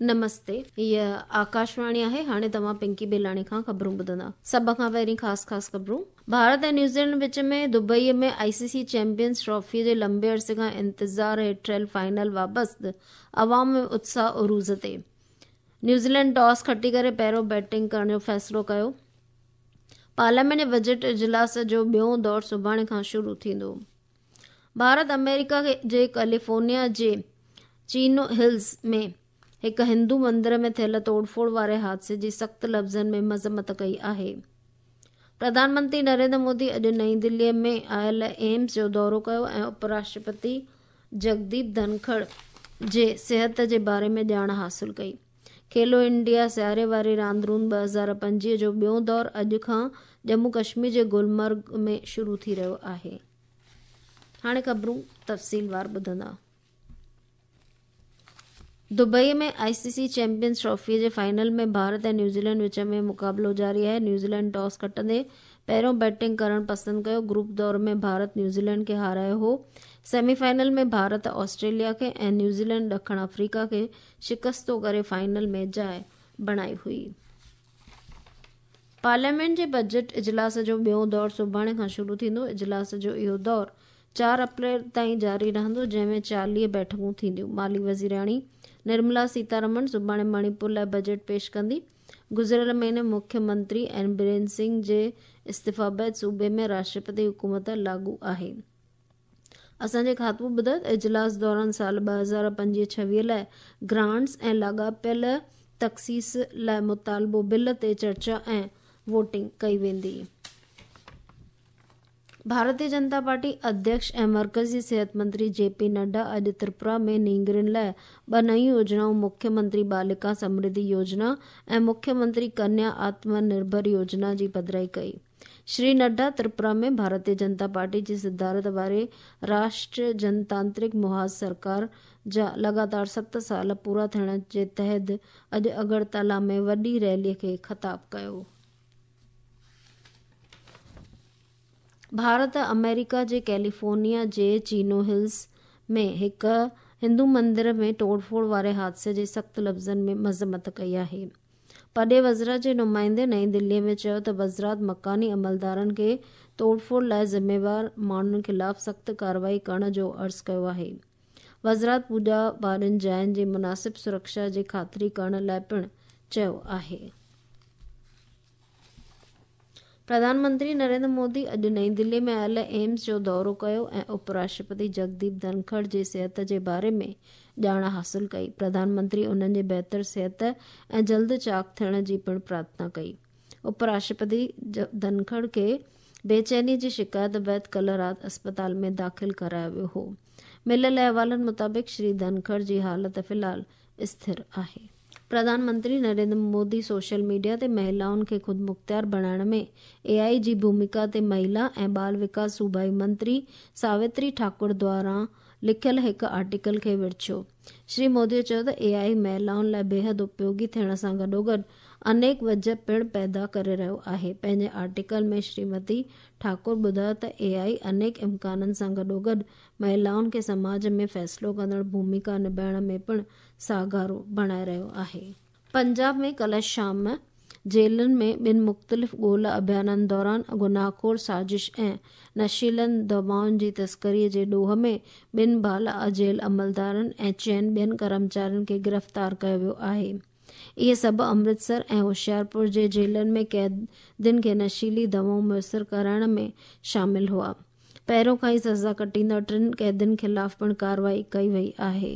نمستي هيء آڪاشواڻي آهي هاڻي توهان پنڪي بيلاڻي کان خبرون ٻڌندا. سڀ کان پهرين خاص خاص خبرون. ڀارت ۽ نيوزيلينڊ وچ ۾ دبئي ۾ آء سي سي چيمپيئنز ٽرافي جي لمبي عرصي کان انتظار هيٺ ٺهيل فائنل وابست عوام ۾ اتساهه عروج تي. نيوزيلينڊ ٽاس کٽي ڪري پهريون بيٽنگ ڪرڻ جو فيصلو ڪيو. پارليامينٽ جي بجيٽ اجلاس جو ٻيون دور سڀاڻي کان شروع ٿيندو. ڀارت آمريڪا جي ڪيليفورنيا جي چينو هلز ۾ هڪ هندو مندر ۾ ٿيل توڙ ڦوڙ واري حادثي جي سخت لفظن ۾ مذمت ڪئي آهي. پرڌان منتري نريندر مودي اڄ نئين دهلي ۾ آيل ايمز جو دورو ڪيو ۽ اپراشٽرپتي جگديپ ڌنکڙ جي صحت جي باري ۾ ڄاڻ حاصل ڪئي. کيلو انڊيا سياري واري راند روند 2025 جو ٻيون دور اڄ کان ڄمون ڪشمير جي گلمرگ ۾ شروع ٿي رهيو آهي. هاڻي خبرون تفصيلوار ٻڌندا. دبئي ۾ آء سي سي چيمپيئنز ٽرافي جي فائنل ۾ ڀارت ۽ نيوزيلينڊ وچ ۾ مقابلو جاري آهي. نيوزيلينڊ ٽاس کٽندي پهريون بيٽنگ ڪرڻ پسند ڪيو. گروپ دور ۾ ڀارت نيوزيلينڊ کي هارايو هو. سيمي فائنل ۾ ڀارت آسٽريليا کي ۽ نيوزيلينڊ ڏکڻ آفريڪا کي شڪستو ڪري فائنل ۾ جاء بڻائي هئي. پارليامينٽ جي بجيٽ اجلاس جو ٻيون دور سڀاڻي کان شروع ٿيندو. اجلاس جو اهو دور 4 اپريل تائين جاري رهندو، جنهن ۾ 40 بيٺڪون ٿينديون. مالي وزيراڻي نرملا سيتارمن سڀاڻي مڻيپور لاء بجيٽ پيش ڪندي. گذريل مهيني مکيه منتري اين برين سنگهه جي استعيفيٰ بعد صوبي ۾ راشٽرپتي حڪومت لاڳو آهي. اسان جي کاتو ٻڌايو ته اجلاس دوران سال 2025-26 لاء گرانٽس ۽ لاڳاپيل تخصيص لاء مطالبو بل تي چرچا ۽ ووٽنگ ڪئي ويندي. ڀارتي جنتا پارٽي اڌيڪش ۽ مرڪزي صحت منتري جي پي نڊا اڄ تريپورا ۾ نينگرين لاء ٻه نيون يوجنائون مکيه منتري بالڪا سمرڌي يوجنا ۽ مکيه منتري ڪنيا آتم نرڀر يوجنا جي پڌرائي ڪئي. شري نڊا تريپورا ۾ ڀارتي جنتا پارٽي جي صدارت واري راشٽريه جنتانترڪ محاذ سرڪار جا لڳاتار 7 سال پورا ٿيڻ جي تحت اڄ اگرتلا ۾ وڏي ريلي کي خطاب ڪيو. ڀارت آمريڪا جي ڪيليفورنيا جي چينو هلز ۾ هڪ هندو مندر ۾ ٽوڙ ڦوڙ واري حادثي جي سخت لفظن ۾ مذمت ڪئي آهي. پرڏيهي وزارت جي نمائندي نئين دهلي ۾ چيو ته وزارت مڪاني عملدارن کي توڙ ڦوڙ لاء ذميوار ماڻهن خلاف سخت ڪارروائي ڪرڻ جو عرض ڪيو آهي. وزارت پوڄا وارين جاين جي مناسب سرڪشا جي خاطري ڪرڻ لاء پڻ چيو آهي. پرڌان منتري نريندر مودي اڄ نئين دهلي ۾ آيل ايمز جو دورو ڪيو ۽ اپراشٽرپتي جگديپ ڌنکڙ جي صحت جي باري ۾ ڄاڻ حاصل ڪئي. پرڌان منتري انهن جي بهتر صحت ۽ جلد چاق ٿيڻ جي پڻ پرارٿنا ڪئي. اپراشٽرپتي ڌنکڙ کي بيچيني جي شڪايت بعد ڪلهه رات اسپتال ۾ داخل ڪرايو ويو هو. مليل احوالن مطابق شري ڌنکڙ جي حالت في الحال اسٿر آهي. پرڌان منتري نريندر مودي سوشل ميڊيا تي مهلائن کي خودمختيار بڻائڻ ۾ اي آء جي ڀوميڪا تي مهلا ۽ ٻال وڪاس صوبائي منتري ساوتري ٺاڪر دواران لکيل هڪ آرٽيڪل کي ورڇيو. شري مودي چيو ته اي آء مهلائن لاء بيحد اپيوگي ٿيڻ سان گڏوگڏ انيڪ وجهه پڻ پيدا ڪري رهيو آهي. پنهنجي آرٽيڪل ۾ شريمتي ٺاڪر ٻڌايو ته اي آء انيڪ امڪانن سان گڏوگڏ مهلائن کي سماج ۾ فيصلو ڪندڙ ڀوميڪا نڀائڻ ۾ پڻ ساهگارو بڻائي رهيو آهي. پنجاب ۾ ڪلهه شام جيلن ۾ ٻن مختلف ڳولا اڀيانن دوران گناهخور سازش ۽ نشيلن دوائن جي تسڪري جي ڏوهه ۾ ٻن بالا جيل عملدارن ۽ چئن ٻين ڪرمچارين کي گرفتار ڪيو ويو آهي. اهي سڀ امرتسر ۽ هوشيارپور جي جيلن ۾ قيدين کي نشيلي دوائون ميسر ڪرائڻ ۾ شامل هئا. پهريون کان ئي سزا ڪٽيندڙ ٽن قيدين خلاف پڻ ڪارروائي ڪئي وئي آهي.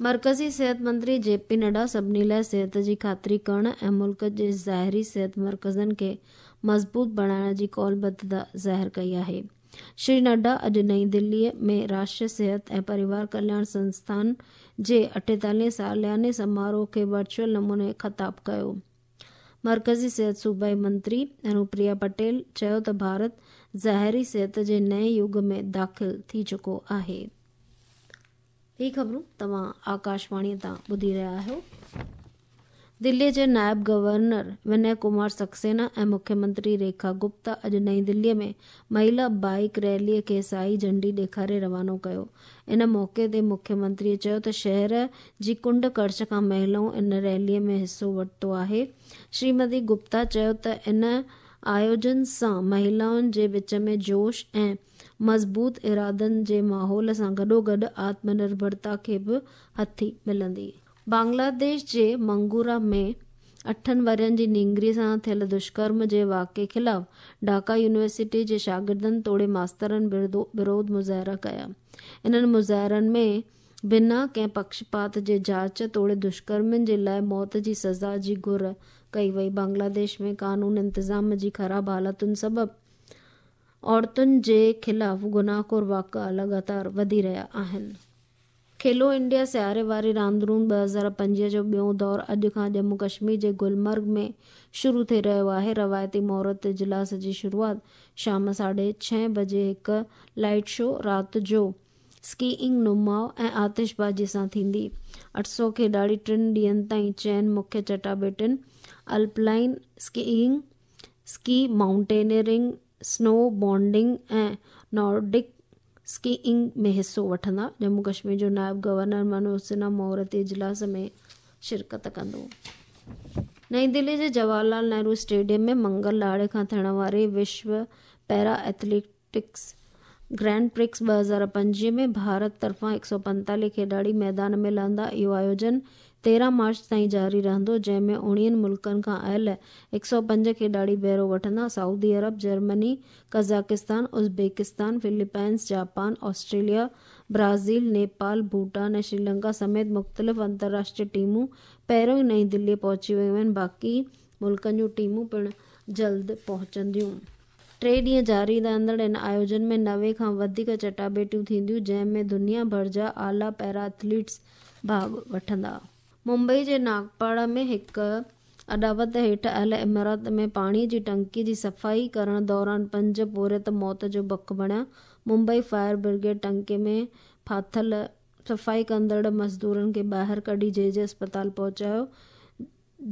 مرڪزي صحت منتري جي پي نڊا سڀني لاء صحت جي خاطري ڪرڻ ۽ ملڪ جي ظاهري صحت مرڪزن کي مضبوط بڻائڻ جي قولبڌتا ظاهر ڪئي آهي. شري نڊا اڄ نئين دهلي ۾ راشٽريه صحت ۽ پريوار ڪلياڻ سنسٿان جي 48 سالياني سماروهه کي ورچوئل نموني خطاب ڪيو. مرڪزي صحت صوبائي منتري انوپريا پٽيل چيو ته ڀارت ظاهري صحت جي نئين يگ ۾ داخل ٿي چڪو آهي. هي خبرون توهان آڪاشواڻي تان ٻڌي رهيا آهيو. دلي جي نائب گورنر وني ڪمار سڪسينا ۽ مکيه منتري ريکا گپتا اڄ نئين دلي ۾ مهلا بائيڪ ريلي کي سائي جهنڊي ڏيکاري روانو ڪيو. ان موقعي تي مکيه منتري چيو ته شهر جي ڪنڊ ڪڙڇ کان مهلائن ان ريلي ۾ حصو ورتو آهي. شريمتي گپتا چيو ته ان آيوجن سان مهلائن جي وچ ۾ جوش ۽ مضبوط ارادن جي ماحول سان گڏوگڏ آتم نرڀرتا کي به هٿي ملندي. بنگلاديش جي منگورا ۾ 8 ورهين جي نينگري سان ٿيل دشڪرم جي واقعي خلاف ڍاڪا يونيورسٽي جي شاگردن توڙي ماسترن وروڌ مظاهرا ڪيا. انهن مظاهرن ۾ بنا ڪنهن پڪشپات جي جاچ توڙي دشڪرمين جي لاء موت جي سزا جي گهر ڪئي وئي. بنگلاديش ۾ قانون انتظام جي خراب حالتن سبب عورتن جي خلاف گناهخور واقعا لڳاتار وڌي رهيا آهن. کيلو انڊيا سياري واري راندرون 2025 جو ٻيون دور اڄ کان ڄمون ڪشمير جي گلمرگ ۾ شروع ٿي رهيو آهي. روايتي مهورت اجلاس جي شروعات شام 6:30 بجي هڪ لائيٽ شو، رات جو اسڪيئنگ نماءُ ۽ آتشبازي سان ٿيندي. 800 کيڏاڙي 3 ڏينهن تائين چئن مکيه چٽاڀيٽين alpine skiing, ski mountaineering, snowboarding ۽ Nordic skiing ۾ حصو وٺندا. ڄمون ڪشمير جو نائب گورنر منوج سنها مهورتي اجلاس ۾ شرڪت ڪندو. نئين دلي جي جواهر لال نهرو اسٽيڊيم ۾ منگل ڏهاڙي کان ٿيڻ واري وشو پيرا ايٿليٽڪس گرينڊ پرڪس 2025 ۾ ڀارت طرفان 145 کيڏاڙي ميدان ۾ لهندا. اهو آيوجن 13 مارچ تائين جاري رهندو، جنهن ۾ 19 ملڪن کان آيل 105 کيڏاڙي بهرو وٺندا. Saudi Arab, Germany, Kazakhstan, Uzbekistan, Philippines, Japan, Australia, Brazil, Nepal, Bhutan ۽ Sri Lanka سميت مختلف انترراشٽريه ٽيمون پهريون ئي نئين دلي پهچي ويون آهن، باقي ملڪن جون ٽيمون پڻ جلد پهچنديون. 3 ڏينهن جاري رهندڙ ان آيوجن ۾ 90 کان وڌيڪ چٽاڀيٽيون ٿينديون، جنهن ۾ دنيا ڀر جا اعليٰ پيرا ايٿليٽس ڀاڳ وٺندا. ممبئي جي ناگپاڙا ۾ هڪ اڏاوت هيٺ آيل عمارت ۾ پاڻي جي ٽنڪي جي صفائي ڪرڻ دوران 5 پورهيت موت جو بک بڻيا. ممبئي فائر برگيڊ ٽنڪي ۾ ڦاٿل صفائي ڪندڙ مزدورن کي ٻاهر ڪڍي جي جي اسپتال پهچايو،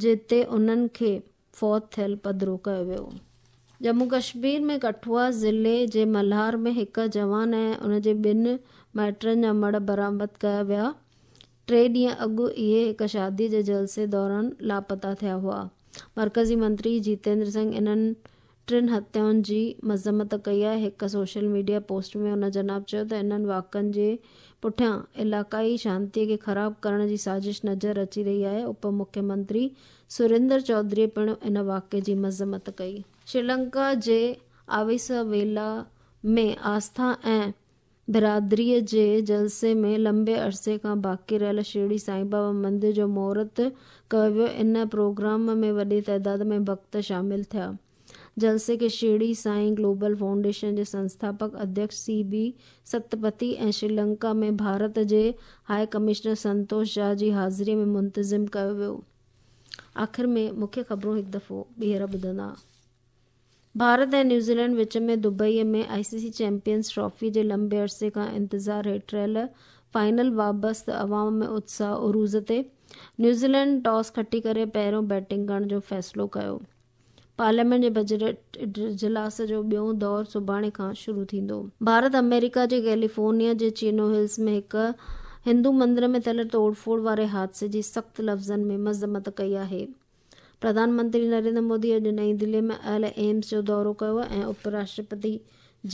جتي انهن کي فوت ٿيل پڌرو ڪيو ويو. ڄمون ڪشمير ۾ ڪٺوا ضلعي جي ملهار ۾ هڪ جوان ۽ ان جي 2 مائٽن جا مڙهه برآمد ڪيا ويا. 3 ڏينهن اڳ اهي هڪ شادي جي جلسي دوران لاپتا ٿيا هئا. مرڪزي منتري جيتيندر سنگهه انهن 3 هتيائن جي مذمت ڪئي آهي. هڪ سوشل ميڊيا پوسٽ ۾ ان جناب چيو ته انهن واقعن جي پٺيان علائقائي شانتي کي خراب ڪرڻ جي سازش نظر اچي رهي آهي. اپ مکيه منتري سريندر چوڌري پڻ ان واقعي جي مذمت ڪئي. شريلنڪا جي آويسويلا ۾ آسٿا ۽ برادريء جي جلسي ۾ لمبي عرصي کان باقي رهيل شرڙي سائين بابا مندر جو مهورت ڪيو ويو. ان پروگرام ۾ وڏي تعداد ۾ ڀڳت شامل ٿيا. جلسي کي شرڙي سائين گلوبل فائونڊيشن جي سنسٿاپڪ اڌيڪش سي بي ستپٿي ۽ شريلنڪا ۾ ڀارت جي هاءِ ڪمشنر سنتوش جها جي حاضري ۾ منتظم ڪيو ويو. آخر ۾ مکيه خبرون هڪ دفعو ٻيهر ٻڌندا. Bharat ۽ New Zealand which ۾ Dubai ۾ I C C champions trophy جي لمبي عرصي کان انتظار هيٺ رهيل فائنل وابسته عوام ۾ اتساهه عروج تي. نيوزيلينڊ ٽاس کٽي ڪري پهريون بيٽنگ ڪرڻ جو فيصلو ڪيو. پارليامينٽ جي بجيٽ اجلاس جو ٻيون دور سڀاڻي کان شروع ٿيندو. ڀارت آمريڪا جي ڪيليفورنيا جي چينو هلز ۾ هڪ هندو مندر ۾ ٿيل ٽوڙ ڦوڙ واري حادثي جي سخت لفظن ۾ مذمت ڪئي آهي. پرڌان منتري نريندر مودي اڄ نئين دلي ۾ آيل ايمس جو دورو ڪيو ۽ اپ راشٽرپتي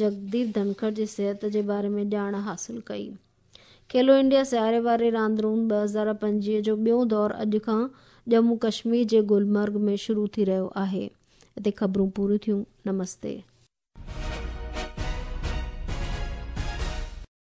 جگديپ ڌنکڙ جي صحت جي باري ۾ ڄاڻ حاصل ڪئي. کيلو انڊيا سياري واري راندرون 2025 جو ٻيون دور اڄ کان ڄمون ڪشمير جي گلمرگ ۾ شروع ٿي رهيو آهي. هتي خبرون پوريون ٿيون. نمستي.